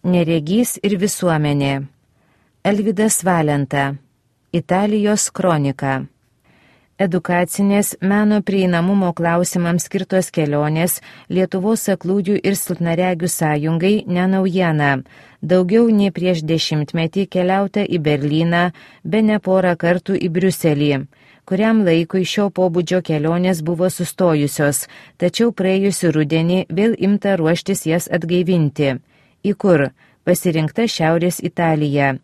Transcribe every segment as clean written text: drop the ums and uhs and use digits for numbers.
Neregys ir visuomenė. Alvydas Valenta. Italijos kronika. Edukacinės meno prieinamumo klausimams skirtos kelionės Lietuvos aklųjų ir silpnaregių sąjungai ne naujiena. Daugiau nei prieš 10 metį keliauta į Berlyną, bene porą kartų į Briuselį. Kuriam laikui šio pobūdžio kelionės buvo sustojusios, tačiau praėjusį rudenį vėl imta ruoštis jas atgaivinti. Į kur? Pasirinkta Šiaurės Italija.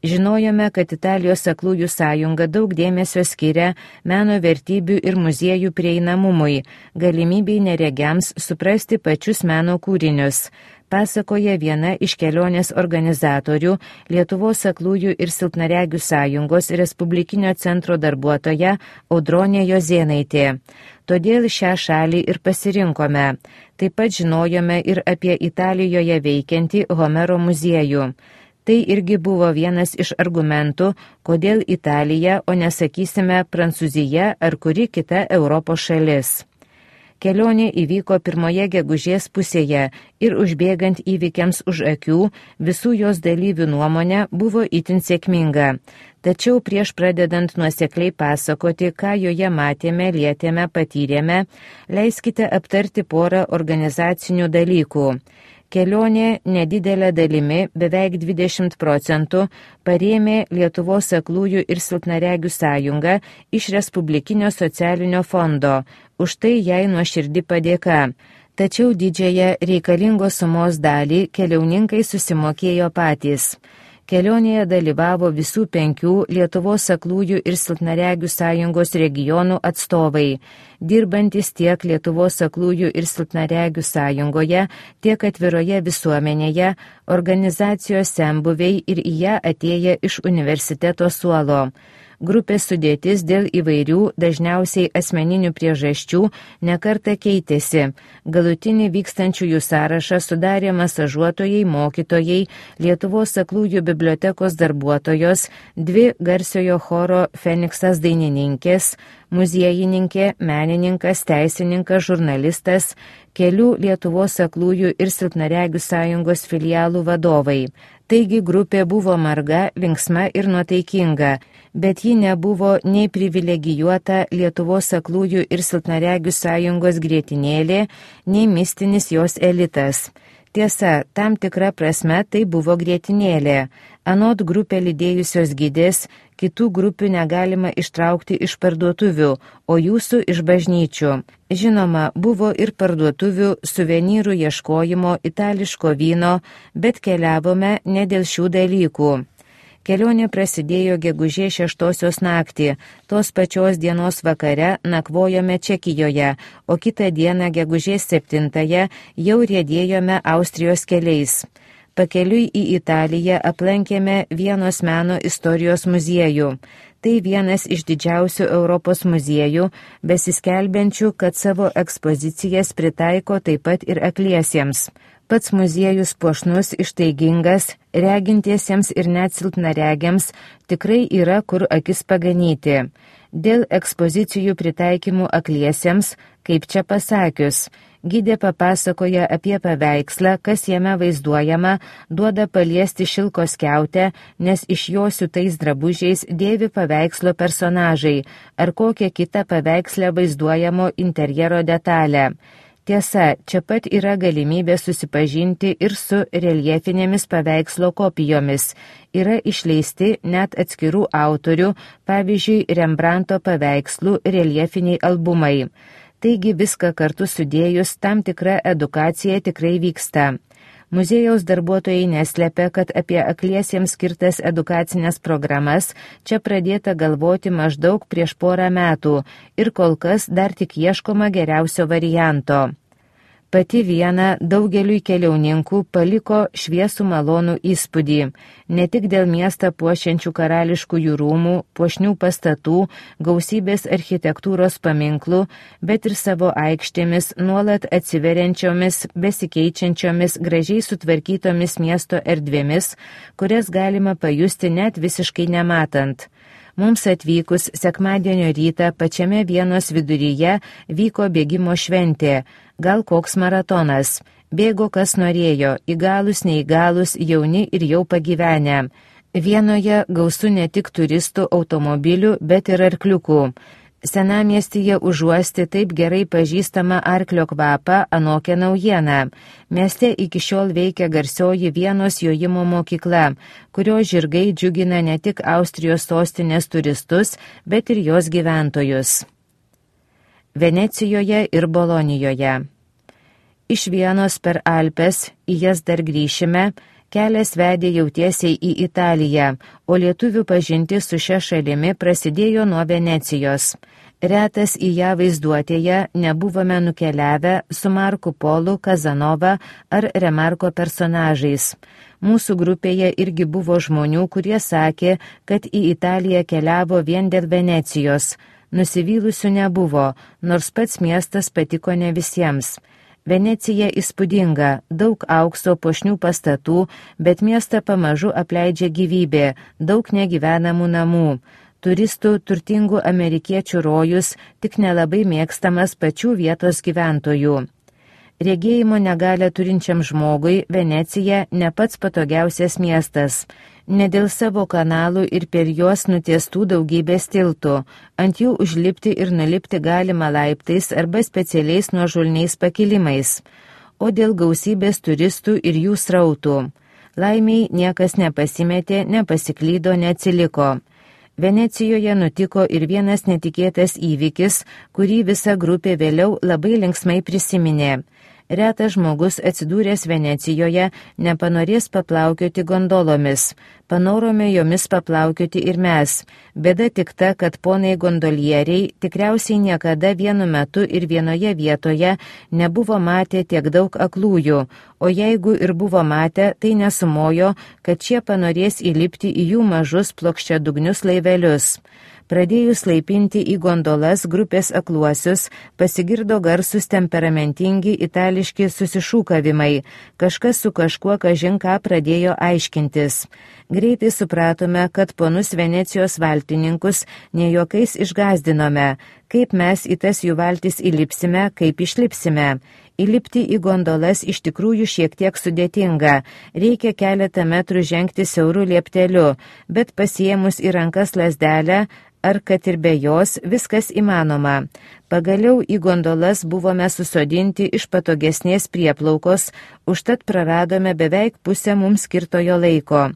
Žinojome, kad Italijos aklųjų sąjunga daug dėmesio skiria meno vertybių ir muziejų prieinamumui, galimybei neregiams suprasti pačius meno kūrinius, pasakoja viena iš kelionės organizatorių Lietuvos aklųjų ir silpnaregių sąjungos Respublikinio centro darbuotoja Audronė Jozėnaitė. Todėl šią šalį ir pasirinkome. Taip pat žinojome ir apie Italijoje veikiantį Homero muziejų. Tai irgi buvo vienas iš argumentų, kodėl Italija, o nesakysime Prancūzija ar kuri kita Europos šalis. Kelionė įvyko 1 gegužės pusėje ir užbėgant įvykiams už akių, visų jos dalyvių nuomonė buvo itin sėkminga. Tačiau prieš pradedant nuosekliai pasakoti, ką joje matėme, lietėme, patyrėme, leiskite aptarti porą organizacinių dalykų. Kelionė nedidelė dalimi, beveik 20%, parėmė Lietuvos aklųjų ir silpnaregių sąjungą iš Respublikinio socialinio fondo. Už tai jai nuoširdi padėka. Tačiau didžiąją reikalingos sumos dalį keliauninkai susimokėjo patys. Kelionėje dalyvavo visų 5 Lietuvos aklųjų ir silpnaregių sąjungos regionų atstovai, dirbantis tiek Lietuvos aklųjų ir silpnaregių sąjungoje, tiek atviroje visuomenėje, organizacijos senbuviai ir į ją atėję iš universiteto suolo. Grupės sudėtis dėl įvairių, dažniausiai asmeninių priežasčių, nekartą keitėsi. Galutinį vykstančiųjų sąrašą sudarė masažuotojai, mokytojai, Lietuvos aklųjų bibliotekos darbuotojos, 2 garsiojo choro Feniksas dainininkės, muziejininkė, menininkas, teisininkas, žurnalistas, kelių Lietuvos aklųjų ir silpnaregių sąjungos filialų vadovai. Taigi grupė buvo marga, linksma ir nuotaikinga, bet ji nebuvo nei privilegijuota Lietuvos aklųjų ir silpnaregių sąjungos grietinėlė, nei mistinis jos elitas. Tiesa, tam tikra prasme tai buvo grietinėlė. Anot grupę lydėjusios gidės, kitų grupių negalima ištraukti iš parduotuvių, o jūsų iš bažnyčių. Žinoma, buvo ir parduotuvių, suvenyrų ieškojimo, itališko vyno, bet keliavome ne dėl šių dalykų. Kelionė prasidėjo gegužės 6 naktį, tos pačios dienos vakare nakvojome Čekijoje, o kitą dieną gegužės 7 jau riedėjome Austrijos keliais. Pakeliui į Italiją aplankėme Vienos meno istorijos muziejų. Tai vienas iš didžiausių Europos muziejų, besiskelbiančių, kad savo ekspozicijas pritaiko taip pat ir akliesiems. Pats muziejus puošnus, ištaigingas, regintiesiems ir net silpnaregiams tikrai yra kur akis paganyti. Dėl ekspozicijų pritaikymų akliesiems, kaip čia pasakius, gidė papasakoja apie paveikslą, kas jame vaizduojama, duoda paliesti šilko skiautę, nes iš jo siūtais drabužiais dėvi paveikslo personažai ar kokią kitą paveikslę vaizduojamo interjero detalę. Tiesa, čia pat yra galimybė susipažinti ir su reljefinėmis paveikslo kopijomis. Yra išleisti net atskirų autorių, pavyzdžiui, Rembrandto paveikslų reljefiniai albumai. Taigi viską kartu sudėjus tam tikra edukacija tikrai vyksta. Muziejaus darbuotojai neslepia, kad apie akliesiems skirtas edukacinės programas čia pradėta galvoti maždaug prieš porą metų ir kol kas dar tik ieškoma geriausio varianto. Pati Viena daugeliui keliauninkų paliko šviesų malonų įspūdį, ne tik dėl miestą puošiančių karališkųjų rūmų, puošnių pastatų, gausybės architektūros paminklų, bet ir savo aikštėmis nuolat atsiveriančiomis, besikeičiančiomis, gražiai sutvarkytomis miesto erdvėmis, kurias galima pajusti net visiškai nematant. Mums atvykus sekmadienio rytą pačiame Vienos viduryje vyko bėgimo šventė, gal koks maratonas. Bėgo kas norėjo, įgalus, neįgalus, jauni ir jau pagyvenę. Vienoje gausu ne tik turistų, automobilių, bet ir arkliukų. Senamiestyje užuosti taip gerai pažįstama arklio kvapą anokia naujiena. Mieste iki šiol veikia garsioji Vienos jojimo mokykla, kurio žirgai džiugina ne tik Austrijos sostinės turistus, bet ir jos gyventojus. Venecijoje ir Bolonijoje. Iš Vienos per Alpes, į jas dar grįšime, kelias vedė jau tiesiai į Italiją, o lietuvių pažintis su šia šalimi prasidėjo nuo Venecijos. Retas į ją vaizduotėje nebuvome nukeliavę su Marku Polu, Kazanova ar Remarko personažais. Mūsų grupėje irgi buvo žmonių, kurie sakė, kad į Italiją keliavo vien dėl Venecijos. Nusivylusių nebuvo, nors pats miestas patiko ne visiems. Venecija įspūdinga, daug aukso puošnių pastatų, bet miestą pamažu apleidžia gyvybė, daug negyvenamų namų. Turistų turtingų amerikiečių rojus, tik nelabai mėgstamas pačių vietos gyventojų. Regėjimo negalę turinčiam žmogui Venecija ne pats patogiausias miestas. Ne dėl savo kanalų ir per juos nutiestų daugybės tiltų. Ant jų užlipti ir nulipti galima laiptais arba specialiais nuožulniais pakilimais. O dėl gausybės turistų ir jų srautų. Laimiai niekas nepasimetė, nepasiklydo, neatsiliko. Venecijoje nutiko ir vienas netikėtas įvykis, kurį visa grupė vėliau labai linksmai prisiminė. Retas žmogus atsidūręs Venecijoje nepanorės paplaukioti gondolomis. Panorome jomis paplaukioti ir mes. Bėda tik ta, kad ponai gondolieriai tikriausiai niekada vienu metu ir vienoje vietoje nebuvo matę tiek daug aklųjų, o jeigu ir buvo matę, tai nesumojo, kad šie panorės įlipti į jų mažus plokščiadugnius laivelius. Pradėjus laipinti į gondolas grupės akluosius, pasigirdo garsus temperamentingi itališki susišūkavimai. Kažkas su kažkuo kažin ką pradėjo aiškintis. Greitai supratome, kad ponus Venecijos valtininkus ne juokais išgazdinome. Kaip mes į tas jų valtis įlipsime, kaip išlipsime. Įlipti į gondolas iš tikrųjų šiek tiek sudėtinga. Reikia keletą metrų žengti siauru liepteliu, bet pasiėmus į rankas lazdelę, ar kad ir be jos, viskas įmanoma. Pagaliau į gondolas buvome susodinti iš patogesnės prieplaukos, užtat praradome beveik pusę mums skirtojo laiko.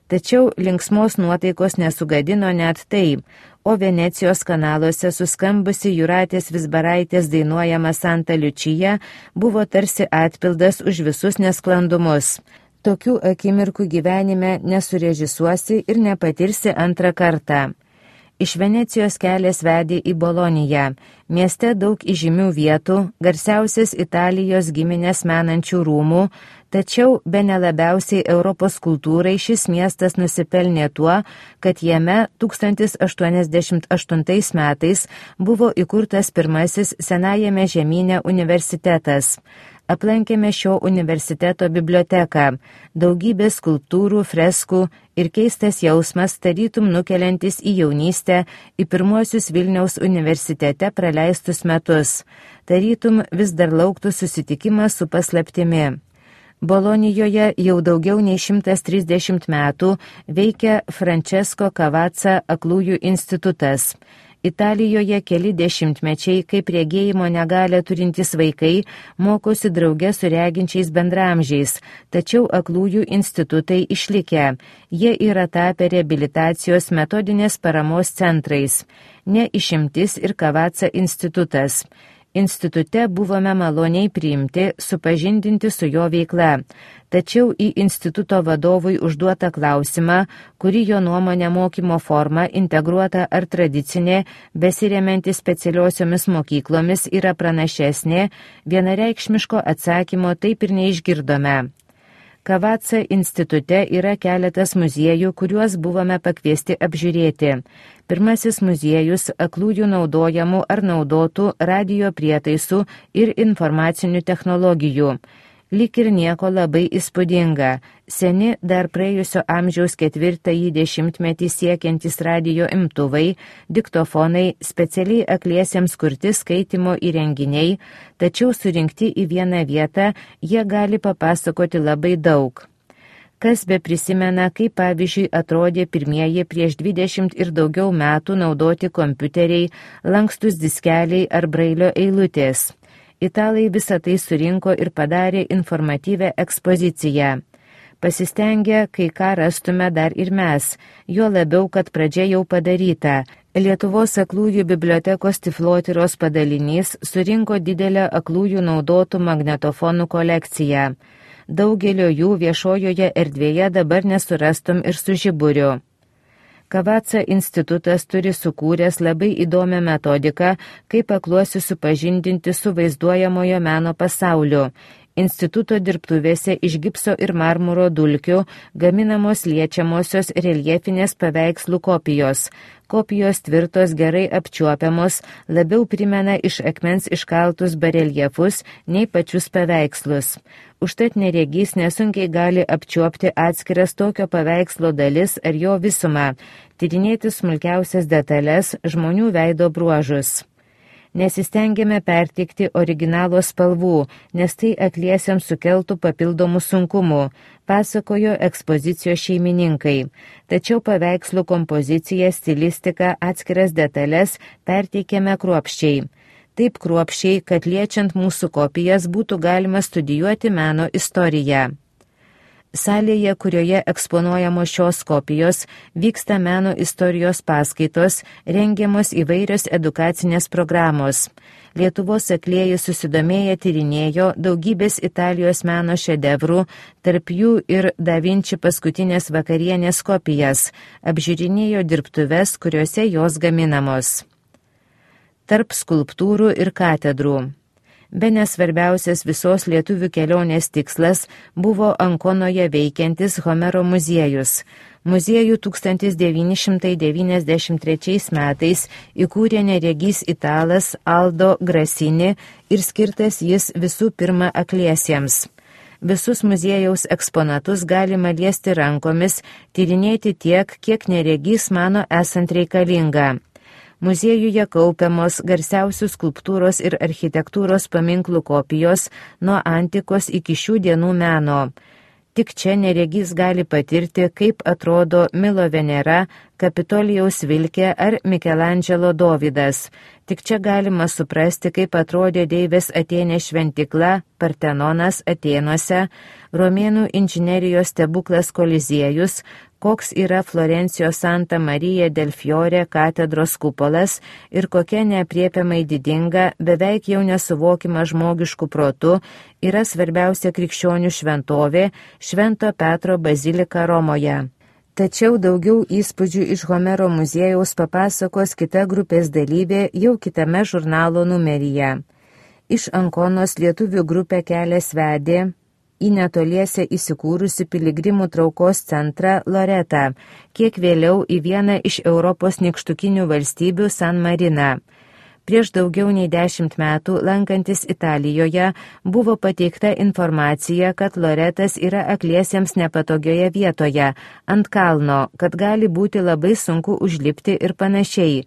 Tačiau linksmos nuotaikos nesugadino net tai, o Venecijos kanaluose suskambusi Jūratės Vizbaraitės dainuojama Santa Liučija buvo tarsi atpildas už visus nesklandumus. Tokių akimirkų gyvenime nesurežisuosi ir nepatirsi antrą kartą. Iš Venecijos kelias vedė į Boloniją. Mieste daug įžymių vietų, garsiausias Italijos giminės menančių rūmų, tačiau bene labiausiai Europos kultūrai šis miestas nusipelnė tuo, kad jame 1088 metais buvo įkurtas pirmasis senajame žemyne universitetas. Aplankėme šio universiteto biblioteką, daugybė skulptūrų, freskų ir keistas jausmas tarytum nukeliantis į jaunystę, į pirmuosius Vilniaus universitete praleistus metus. Tarytum vis dar lauktų susitikimas su paslaptimi. Bolonijoje jau daugiau nei 130 metų veikia Francesco Cavazza aklųjų institutas. Italijoje keli dešimtmečiai, kaip regėjimo negalią turintys vaikai, mokosi drauge su reginčiais bendramžiais, tačiau aklųjų institutai išlikę. Jie yra tapę reabilitacijos metodinės paramos centrais. Ne išimtis ir Cavazza institutas. Institute buvome maloniai priimti, supažindinti su jo veikla. Tačiau į instituto vadovui užduotą klausimą, kuri jo nuomonė mokymo forma, integruota ar tradicinė, besiremianti specialiosiomis mokyklomis yra pranašesnė, vienareikšmiško atsakymo taip ir neišgirdome. Cavazza institute yra keletas muziejų, kuriuos buvome pakviesti apžiūrėti. Pirmasis muziejus aklųjų naudojamų ar naudotų radio prietaisų ir informacinių technologijų. Lyg ir nieko labai įspūdinga. Seni dar praėjusio amžiaus 4-ąjį dešimtmetį siekiantys radijo imtuvai, diktofonai, specialiai akliesiems kurti skaitimo įrenginiai, tačiau surinkti į vieną vietą jie gali papasakoti labai daug. Kas be prisimena, kaip pavyzdžiui atrodė pirmieji prieš 20 ir daugiau metų naudoti kompiuteriai, lankstus diskeliai ar brailio eilutės. Italai visą tai surinko ir padarė informatyvę ekspoziciją. Pasistengę, kai ką rastume dar ir mes, juo labiau, kad pradžia jau padaryta. Lietuvos aklųjų bibliotekos Tiflotyros padalinys surinko didelę aklųjų naudotų magnetofonų kolekciją. Daugelio jų viešojoje erdvėje dabar nesurastum ir su žiburiu. Kavaca institutas turi sukūręs labai įdomią metodiką, kaip akluosius supažindinti su vaizduojamojo meno pasauliu. Instituto dirbtuvėse iš gipso ir marmuro dulkių gaminamos liečiamosios reljefinės paveikslų kopijos. Kopijos tvirtos, gerai apčiuopiamos, labiau primena iš akmens iškaltus bareljefus nei pačius paveikslus. Užtat neregys nesunkiai gali apčiuopti atskiras tokio paveikslo dalis ar jo visumą, tyrinėti smulkiausias detalės, žmonių veido bruožus. Nesistengėme pertikti originalo spalvų, nes tai akliesiams sukeltų papildomų sunkumų, pasakojo ekspozicijos šeimininkai. Tačiau paveikslų kompoziciją, stilistiką, atskiras detalės perteikėme kruopščiai. Taip kruopščiai, kad liečiant mūsų kopijas būtų galima studijuoti meno istoriją. Salėje, kurioje eksponuojamos šios kopijos, vyksta meno istorijos paskaitos, rengiamos įvairios edukacinės programos. Lietuvos aklieji susidomėję tyrinėjo daugybės Italijos meno šedevrų, tarp jų ir Da Vinci paskutinės vakarienės kopijas, apžiūrinėjo dirbtuves, kuriuose jos gaminamos. Tarp skulptūrų ir katedrų. Bene svarbiausias visos lietuvių kelionės tikslas buvo Ankonoje veikiantis Homero muziejus. Muziejų 1993 metais įkūrė neregys italas Aldo Grasini ir skirtas jis visų pirma akliesiems. Visus muziejaus eksponatus galima liesti rankomis, tyrinėti tiek, kiek neregys mano esant reikalinga. Muziejuje kaupiamos garsiausių skulptūros ir architektūros paminklų kopijos nuo antikos iki šių dienų meno. Tik čia neregys gali patirti, kaip atrodo Milo Venera, Kapitolijaus Vilkė ar Mikelandželo Dovydas. Tik čia galima suprasti, kaip atrodė Deivės Atėnės šventikla, Partenonas Atėnuose, romėnų inžinerijos stebuklas Koliziejus, koks yra Florencijos Santa Marija del Fiore katedros kupolas ir kokia neapriepiamai didinga, beveik jau nesuvokima žmogiškų protų, yra svarbiausia krikščionių šventovė Švento Petro bazilika Romoje. Tačiau daugiau įspūdžių iš Homero muziejaus papasakos kita grupės dalyvė jau kitame žurnalo numeryje. Iš Ankonos lietuvių grupę kelias vedė į netoliese įsikūrusi piligrimų traukos centrą Loretą, kiek vėliau į vieną iš Europos nykštukinių valstybių San Mariną. Prieš daugiau nei 10 metų, lankantis Italijoje, buvo pateikta informacija, kad Loretas yra akliesiems nepatogioje vietoje, ant kalno, kad gali būti labai sunku užlipti ir panašiai.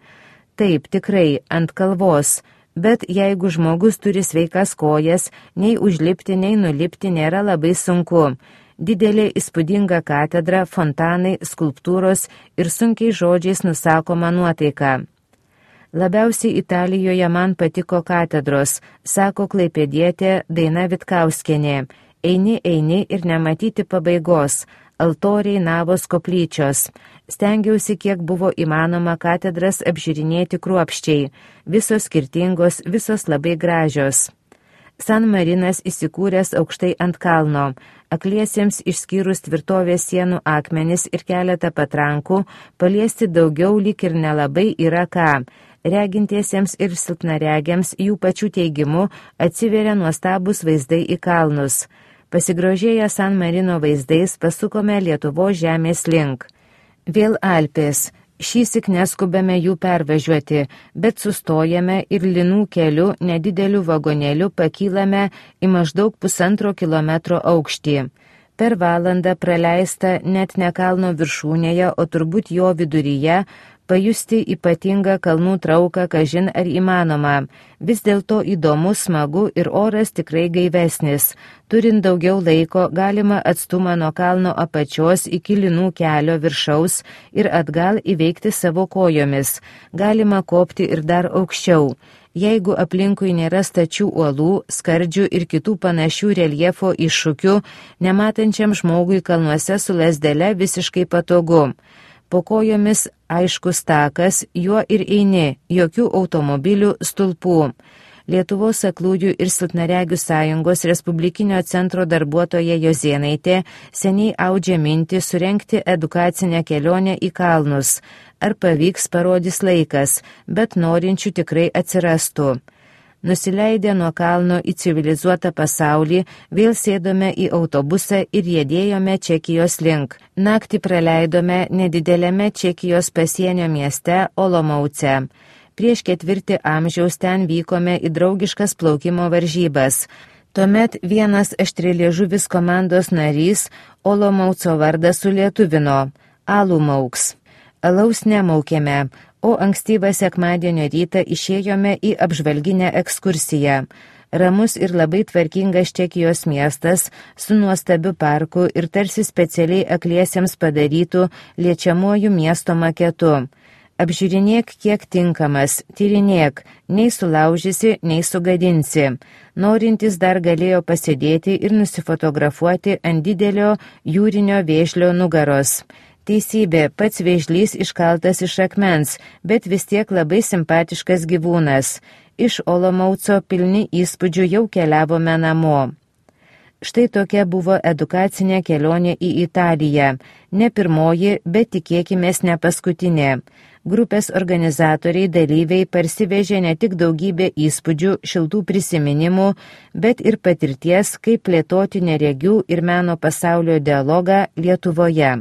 Taip, tikrai, ant kalvos. Bet jeigu žmogus turi sveikas kojas, nei užlipti, nei nulipti nėra labai sunku. Didelė įspūdinga katedra, fontanai, skulptūros ir sunkiai žodžiais nusakoma nuotaika. Labiausiai Italijoje man patiko katedros, sako klaipėdietė Daina Vitkauskienė. Eini ir nematyti pabaigos. Altoriai, navos, koplyčios. Stengiausi, kiek buvo įmanoma katedras apžiūrinėti kruopščiai. Visos skirtingos, visos labai gražios. San Marinas įsikūręs aukštai ant kalno. Akliesiems išskyrus tvirtovės sienų akmenis ir keletą patrankų, paliesti daugiau lyg ir nelabai yra ką. Regintiesiems ir silpnaregiams jų pačių teigimu atsiveria nuostabus vaizdai į kalnus. Pasigrožėję San Marino vaizdais pasukome Lietuvos žemės link. Vėl Alpės, Šįsyk neskubame jų pervažiuoti, bet sustojame ir linų keliu nedideliu vagonėliu pakylame į maždaug 1,5 kilometro aukštį. Per valandą praleista net ne kalno viršūnėje, o turbūt jo viduryje, pajusti ypatingą kalnų trauką, kažin ar įmanoma. Vis dėlto įdomu, smagu ir oras tikrai gaivesnis. Turint daugiau laiko, galima atstumą nuo kalno apačios iki linų kelio viršaus ir atgal įveikti savo kojomis. Galima kopti ir dar aukščiau. Jeigu aplinkui nėra stačių uolų, skardžių ir kitų panašių reljefo iššūkių, nematančiam žmogui kalnuose su lazdele visiškai patogu. Po kojomis aiškus takas, juo ir eini, jokių automobilių, stulpų. Lietuvos aklųjų ir silpnaregių sąjungos Respublikinio centro darbuotoja Jozėnaitė seniai audžia mintį surengti edukacinę kelionę į kalnus. Ar pavyks, parodys laikas, bet norinčių tikrai atsirastų. Nusileidę nuo kalno į civilizuotą pasaulį, vėl sėdome į autobusą ir riedėjome Čekijos link. Naktį praleidome nedidelėme Čekijos pasienio mieste Olomouce. Prieš 4 amžiaus ten vykome į draugiškas plaukimo varžybas. Tuomet vienas aštrialiežuvis komandos narys Olomouco vardą sulietuvino – alų mauks. Alaus nemaukėme, o ankstyvą sekmadienio rytą išėjome į apžvalginę ekskursiją. Ramus ir labai tvarkingas Čekijos miestas su nuostabiu parku ir tarsi specialiai akliesiems padarytų liečiamuoju miesto maketu. Apžiūrinėk, kiek tinkamas, tyrinėk, nei sulaužysi, nei sugadinsi. Norintys dar galėjo pasėdėti ir nusifotografuoti ant didelio jūrinio vėžlio nugaros. Teisybė, pats vėžlys iškaltas iš akmens, bet vis tiek labai simpatiškas gyvūnas. Iš Olomouco pilni įspūdžių jau keliavome namo. Štai tokia buvo edukacinė kelionė į Italiją. Ne pirmoji, bet tikėkimės ne paskutinė. Grupės organizatoriai dalyviai parsivežė ne tik daugybę įspūdžių, šiltų prisiminimų, bet ir patirties, kaip plėtoti neregių ir meno pasaulio dialogą Lietuvoje.